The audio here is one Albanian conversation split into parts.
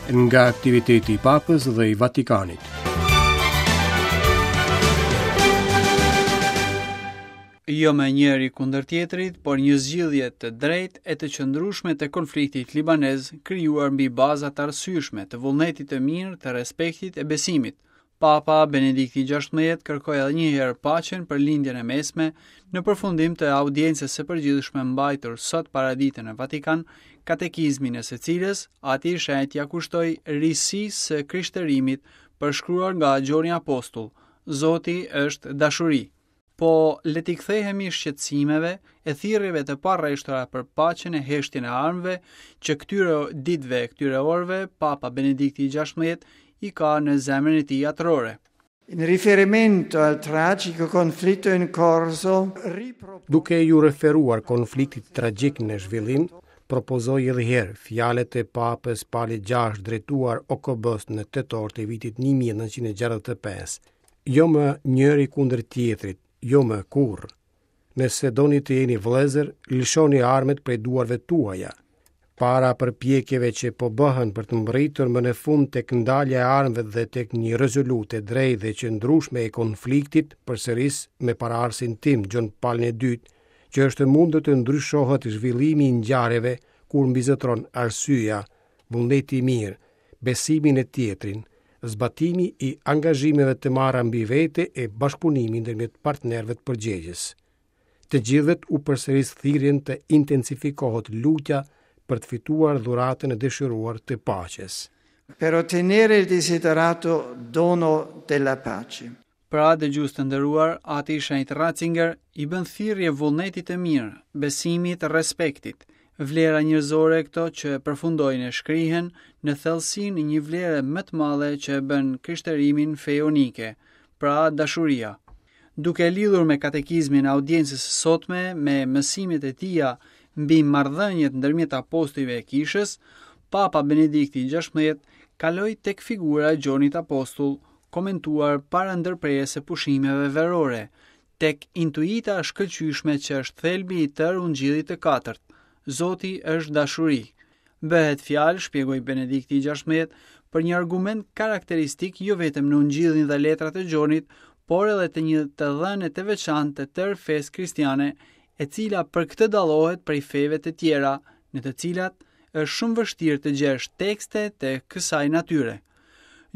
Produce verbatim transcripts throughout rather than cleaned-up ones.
Nga aktiviteti i Papës dhe i Vatikanit. Jo me njëri kundër tjetrit, por një zgjidhje të drejtë e të qëndrueshme të konfliktit libanez, krijuar mbi baza të arsyeshme të vullnetit të mirë, të respektit e besimit. Papa Benedikti gjashtëmbëdhjetë kërkoi edhe një herë paqen për Lindjen e Mesme në përfundim të audiencës së përgjithshme mbajtur sot paradite në Vatikan, katekizmin e së cilës Ati i Shenjtë ia kushtoi risisë së krishterimit përshkruar nga Gjoni Apostull, Zoti është dashuri. Po le t'i kthehemi shqetësimeve e thirrjeve të parreshtura për paqen e heshtjen e armëve që këtyre ditëve e këtyre orëve Papa Benedikti gjashtëmbëdhjetë i ka në zemrën e tij atërore. In riferimento al tragico conflitto in corso, ripro- Duke ju referuar konfliktit tragjik në zhvillim, propozoi edhe herë fjalët e Papës Pali gjashtë drejtuar O K B-s në tetor të vitit një mijë e nëntëqind e gjashtëdhjetë e pesë. Jo më njëri kundër tjetrit, jo më kurrë. Nëse doni të jeni vëllezër, lëshoni armët prej duarve tuaja. Para përpjekjeve që po bëhen për të mbërritur më në fund tek ndalja e armëve dhe tek një rezolutë e drejtë dhe qëndrueshme e konfliktit, përsëris me paraardhësin tim Gjon Palin e dytë, që është e mundur të ndryshohet zhvillimi i ngjarjeve kur mbizotron arsyeja, vullneti i mirë, besimi në tjetrin, zbatimi i angazhimeve të marra mbi vete e bashkëpunimi ndërmjet partnerëve të përgjegjës. Të gjithëve u përsëris thirrjen të intensifikohet lutja për të fituar dhuratën e dëshiruar të paqes. Per ottenere il desiderato dono della pace. Pra, dëgjues të nderuar, Ati i Shenjtë Ratzinger i bën thirrje vullnetit të mirë, besimit, respektit, vlera njerëzore këto që përfundojnë e shkrihen në thellësinë e një vlere më të madhe që e bën krishterimin fejonike, pra dashuria. Duke e lidhur me katekizmin e audiencës së sotme, me mësimet e tija mbi marrëdhëniet ndërmjet apostujve e kishës, Papa Benedikti gjashtëmbëdhjetë kaloi tek figura e Gjonit Apostull, komentuar para ndërprerjes së pushimeve verore, tek intuita e shkëlqyeshme që është thelbi i tërë ungjillit të katërt. Zoti është dashuri. Bëhet fjalë, shpjegoi Benedikti gjashtëmbëdhjetë, për një argument karakteristik jo vetëm në ungjillin dhe letrat e Gjonit, por edhe të një të dhëne të veçantë të tërë fesë kristiane, e cila për këtë dallohet prej feve të tjera, në të cilat është shumë vështirë të gjesh tekste të kësaj natyre.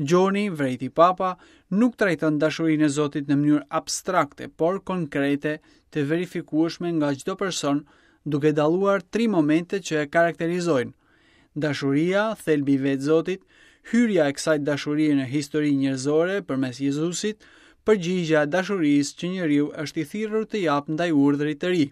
Gjoni, vrejti Papa, nuk trajton dashurinë e Zotit në mënyrë abstrakte, por konkrete, të verifikueshme nga çdo person, duke dalluar tri momente që e karakterizojnë. Dashuria, thelbi i vetë Zotit, hyrja e kësaj dashurie në histori njerëzore përmes Jezusit, përgjigja e dashurisë që njeriu është i thirrur të japë ndaj urdhrit të ri.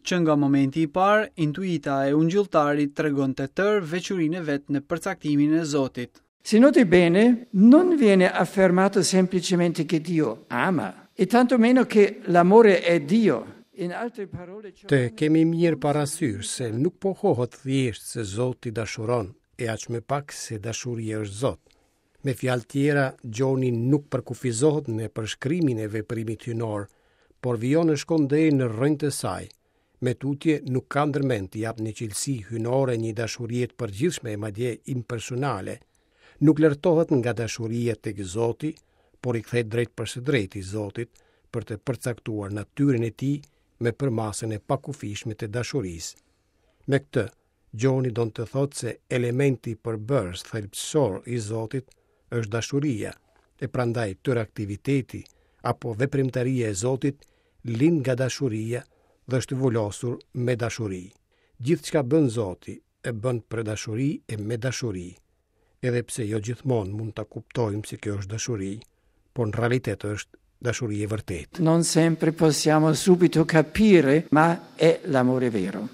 Që nga momenti i parë, intuita e ungjilltarit tregon të tërë veçurinë e vet në përcaktimin e Zotit. Se noti bene, non viene affermato semplicemente che Dio ama, e tantomeno che l'amore è Dio. In altre parole, ciò Të kemi mirë parasysh se nuk pohohet thjesht se Zoti dashuron, e aq më pak se dashuria është Zot. Me fjalë tjera, Gjoni nuk përkufizohet në përshkrimin e veprimit hyjnor, por vijon e shkon deri në rrënjë të saj. Me tutje nuk ka ndërmend të jap një cilësi hyjnore një dashurie të përgjithshme e madje impersonale. Nuk lërtohet nga dashuria tek Zoti, por i kthehet drejt për së drejti Zotit për të përcaktuar natyrën e tij me përmasën e pakufishme të dashurisë. Me këtë, Gjoni don të thotë se elementi përbërës thelbësor i Zotit është dashuria, e prandaj tërë aktiviteti apo veprimtaria e Zotit lind nga dashuria dhe është vulosur me dashuri. Gjithçka bën Zoti e bën për dashuri e me dashuri, edhe pse jo gjithmonë mund ta kuptojmë se kjo është dashuri, por në realitet është dashuri e vërtetë. Non sempre possiamo subito capire, ma è l'amore vero.